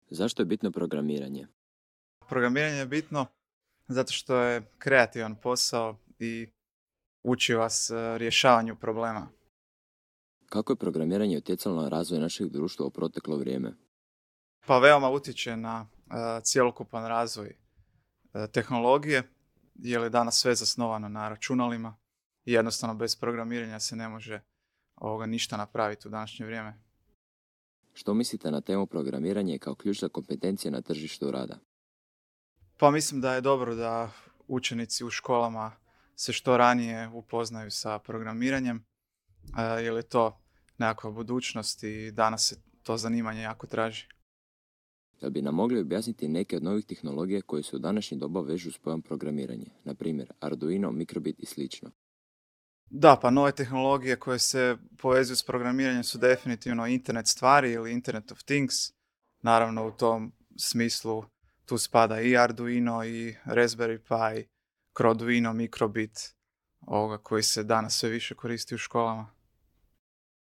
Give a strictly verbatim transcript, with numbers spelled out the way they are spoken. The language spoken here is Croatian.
Zašto je bitno programiranje? Programiranje je bitno zato što je kreativan posao i uči vas e, rješavanju problema. Kako je programiranje utjecalo na razvoj našeg društva u proteklo vrijeme? Pa veoma utječe na e, cjelokupan razvoj e, tehnologije, jer je danas sve zasnovano na računalima i jednostavno bez programiranja se ne može ovoga ništa napraviti u današnje vrijeme. Što mislite na temu programiranje kao ključna kompetencija na tržištu rada? Pa mislim da je dobro da učenici u školama se što ranije upoznaju sa programiranjem, e, jer je to nekakva budućnost i danas se to zanimanje jako traži. Da bi nam mogli objasniti neke od novih tehnologija koje se u današnji doba vežu s pojam programiranje, na primjer Arduino, Microbit i slično. Da, pa nove tehnologije koje se povezuju s programiranjem su definitivno internet stvari ili Internet of Things. Naravno u tom smislu tu spada i Arduino i Raspberry Pi, Arduino, Microbit, ovoga koji se danas sve više koristi u školama.